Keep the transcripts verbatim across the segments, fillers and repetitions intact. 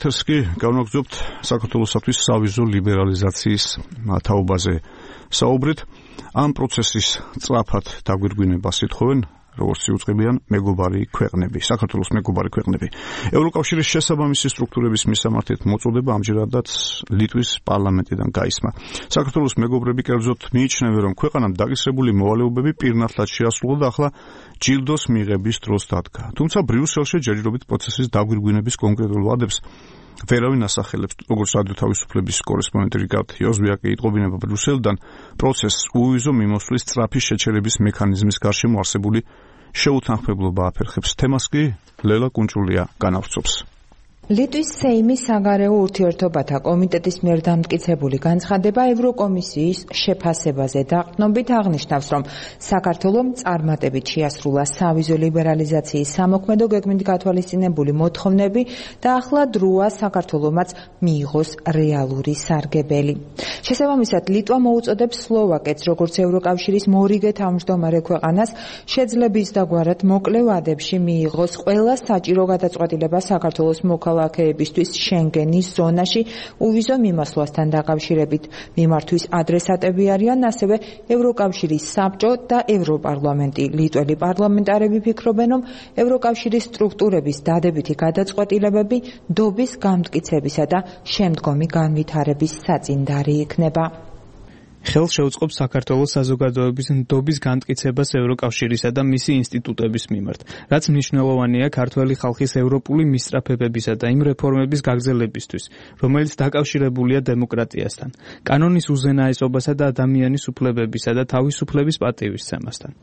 ერთ-ერთს კი განვაგრძობთ საქართველოსთვის სავიზო ლიბერალიზაციის თაობაზე საუბრით. ამ პროცესის სწრაფად დაგვირგვინებას ითხოვენ როგორც იუწყებიან მეგობარი ქვეყნები, საქართველოს მეგობარი ქვეყნები. ევროკავშირის შესაბამისი სტრუქტურების მისამართით მოწოდება ამჯერადაც ლიტვის პარლამენტიდან გაისმა. საქართველოს მეგობრები კერძოდ მიიჩნევენ, რომ ქვეყანამ დაკისრებული მოვალეობები პირნათლად შეასრულა და ახლა ჯილდოს მიღების დროს დადგა. თუმცა ბრიუსელში ჯერჯერობით პროცესის დაგვირგვინების კონკრეტულ ვადებს ვერავინ ასახელებს, როგორც რადიო თავისუფლების კორესპონდენტი რიგარდ იოზვიაკი იტყობინება ბრიუსელიდან პროცესს უვიზო მიმოსვლის სწრაფი შეჩერების მექანიზმის გარშემო არსებული შეუთანხმებლობა აფერხებს. თემას კი ლელა კუნჭულია განავრცობს. ლიტვის სეიმის საგარეო ურთიერთობათა კომიტეტის მიერ დამტკიცებული განცხადება ევროკომისიის შეფასებაზე დაყრდნობით აღნიშნავს, რომ საქართველომ წარმატებით შეასრულა სავიზო ლიბერალიზაციის სამოქმედო გეგმით გათვალისწინებული მოთხოვნები და ახლა დროა საქართველომაც მიიღოს რეალური სარგებელი. შესაბამისად, ლიტვა მოუწოდებს სლოვაკეთს, როგორც ევროკავშირის მორიგე თავმჯდომარე ქვეყანას, შეძლების დაგვარად მოკლე ვადებში მიიღოს ყველა საჭირო გადაწყვეტილება საქართველოს მოქალაქეებისთვის შენგენის ზონაში უვიზო მიმოსვლასთან დაკავშირებით. მიმართვის ადრესატები არიან ასევე ევროკავშირის საბჭო და ევროპარლამენტი. ლიტველი პარლამენტარები ფიქრობენ, რომ ევროკავშირის სტრუქტურების დადებითი გადაწყვეტილებები დობის გამტკიცებისა და შემდგომი განვითარების საწინდარი იქნება. ხელს შეუწყობს საქართველოს საზოგადოების ნდობის განმტკიცებას ევროკავშირისა და მისი ინსტიტუტების მიმართ, რაც მნიშვნელოვანია ქართველი ხალხის ევროპული მისწრაფებებისა და იმ რეფორმების გაგრძელებისთვის, რომელიც დაკავშირებულია დემოკრატიასთან, კანონის უზენაესობასა და ადამიანის უფლებებისა და თავისუფლების პატივისცემასთან.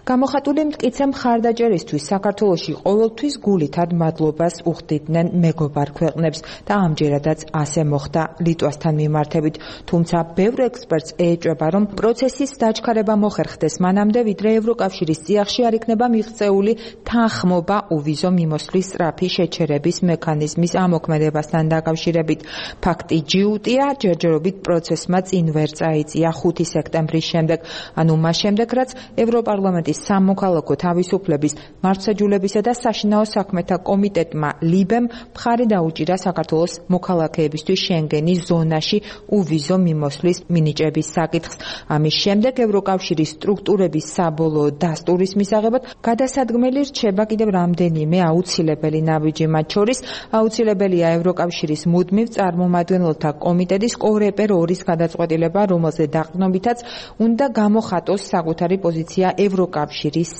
გამოხატული მტკიცე მხარდაჭერისთვის საქართველოში ყოველთვის გულითად მადლობას უხდიდნენ მეგობარ ქვეყნებს და ამჯერადაც ასე მოხდა ლიტვასთან მიმართებით. თუმცა ბევრ ექსპერტს ეჭვება, რომ პროცესის დაჩქარება მოხერხდეს მანამდე, ვიდრე ევროკავშირის წიაღში არ იქნება მიღწეული თანხმობა უვიზო მიმოსვლის სწრაფი შეჩერების მექანიზმის ამოქმედებასთან დაკავშირებით. ფაქტი ჯიუტია, ჯერჯერობით პროცესმა წინ ვერ წაიწია ხუთი სექტემბრის შემდეგ, ანუ მას შემდეგ, რაც ევროპარლამენტის სამოქალაქო თავისუფლების, მართლმსაჯულებისა და საშინაო საქმეთა კომიტეტმა ლიბემ მხარი დაუჭირა საქართველოს მოქალაქეებისთვის შენგენის ზონაში უვიზო მიმოსვლის მინიჭების საკითხს. ამის შემდეგ ევროკავშირის სტრუქტურების საბოლოო დასტურის მისაღებად გადასადგმელი რჩება კიდევ რამდენიმე აუცილებელი ნაბიჯი, მათ შორის აუცილებელია ევროკავშირის მუდმივ წარმომადგენელთა კომიტეტის კორეპერ ორის გადაწყვეტილება, რომელზე დაყრდნობითაც უნდა გამოხატოს საკუთარი პოზიცია ევროკავშირის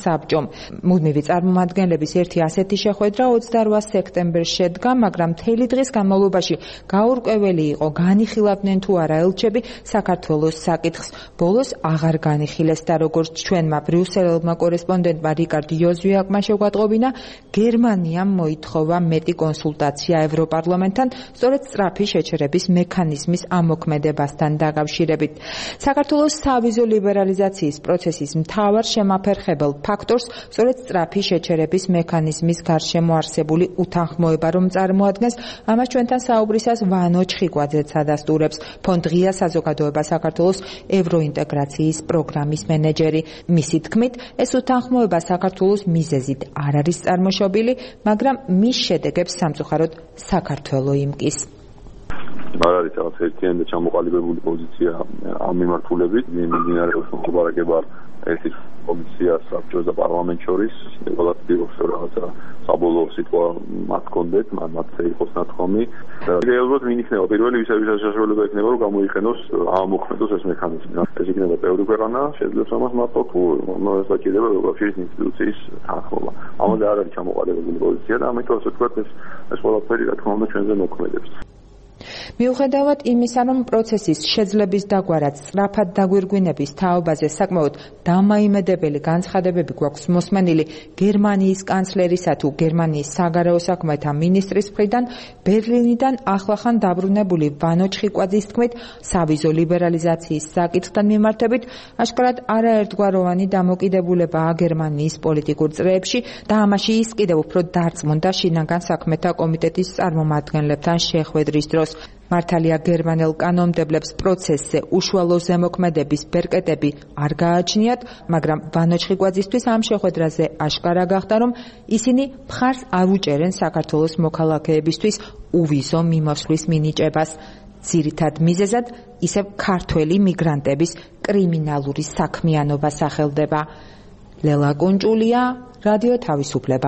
საბჭომ. მუდმივი წარმომადგენლების ერთი ასეთი შეხვედრა ოცდარვა სექტემბერს შედგა, მაგრამ მთელი დღის განმავლობაში გაურკვეველი იყო, განიხილავდნენ თუ არა ელჩები საქართველოს საკითხს. ბოლოს აღარ განიხილეს და როგორც ჩვენმა ბრიუსელელმა კორესპონდენტმა რიკარდ იოზვიაკმა შეგვატყობინა, გერმანიამ მოითხოვა მეტი კონსულტაცია ევროპარლამენტთან, სწორედ სწრაფი შეჩერების მექანიზმის ამოქმედებასთან დაკავშირებით. საქართველოს სავიზო ლიბერალიზაციის პროცესის მთავარ შემაფერხებელ ფაქტორს სწორედ სწრაფი შეჩერების მექანიზმის გარშემო არსებული უთანხმოება რომ წარმოადგენს, ამას ჩვენთან საუბრისას ვანო ჩხიკვაძეც ადასტურებს, ფონდ ღია საზოგადოება საქართველოს ევროინტეგრაციის პროგრამის მენეჯერი. მისი თქმით, ეს უთანხმოება საქართველოს მიზეზით არ არის წარმოშობილი, მაგრამ მის შედეგებს სამწუხაროდ საქართველო იმკის. არ არის რაღაც ერთიანი და ჩამოყალიბებული პოზიცია ამ მიმართულებით, მიმდინარეობს მოგებარება ერთი კომისია საბჭოს და პარლამენტს შორის, ყველას პირობს რაღაცა საბოლოო სიტყვა მათ კონდეთ, მათ იყოს ნათქვამი. რეალურად ვინ იქნება პირველი, ვისაც საშუალება ექნება, რომ გამოიყენოს ამოქმედოს ეს მექანიზმი. ეს იქნება ბევრი ქვეყანა, შეძლებს ამას მარტო თუ მოსაჭირება ევროკავშირის ინსტიტუციის თანხმობა. ამაზე არ არის ჩამოყალიბებული პოზიცია და ამიტომ ასე ვთქვათ, ეს ეს ყველაფერი რა თქმა უნდა ჩვენზე მოქმედებს. მიუხედავად იმისა, რომ პროცესის შეძლების დაგვარად სწრაფად დაგვირგვინების თაობაზე საკმაოდ დამაიმედებელი განცხადებები გვაქვს მოსმენილი გერმანიის კანცლერისა თუ გერმანიის საგარეო საქმეთა მინისტრის მხრიდან, ბერლინიდან ახლახან დაბრუნებული ვანო ჩხიკვაძის თქმით, სავიზო ლიბერალიზაციის საკითხთან მიმართებით აშკარად არაერთგვაროვანი დამოკიდებულებაა გერმანიის პოლიტიკურ წრეებში და ამაში ის კიდევ უფრო დარწმუნდა შინაგან საქმეთა კომიტეტის წარმომადგენლებთან შეხვედრის დროს. მართალია გერმანელ კანონმდებლებს პროცესზე უშუალო ზემოქმედების ბერკეტები არ გააჩნიათ, მაგრამ ვანო ჩხიკვაძისთვის ამ შეხვედრაზე აშკარა გახდა, რომ ისინი მხარს არ უჭერენ საქართველოს მოქალაქეებისთვის უვიზო მიმოსვლის მინიჭებას. ძირითად მიზეზად ისევ ქართველი მიგრანტების კრიმინალური საქმიანობა სახელდება. ლელა კუნჭულია, რადიო თავისუფლება.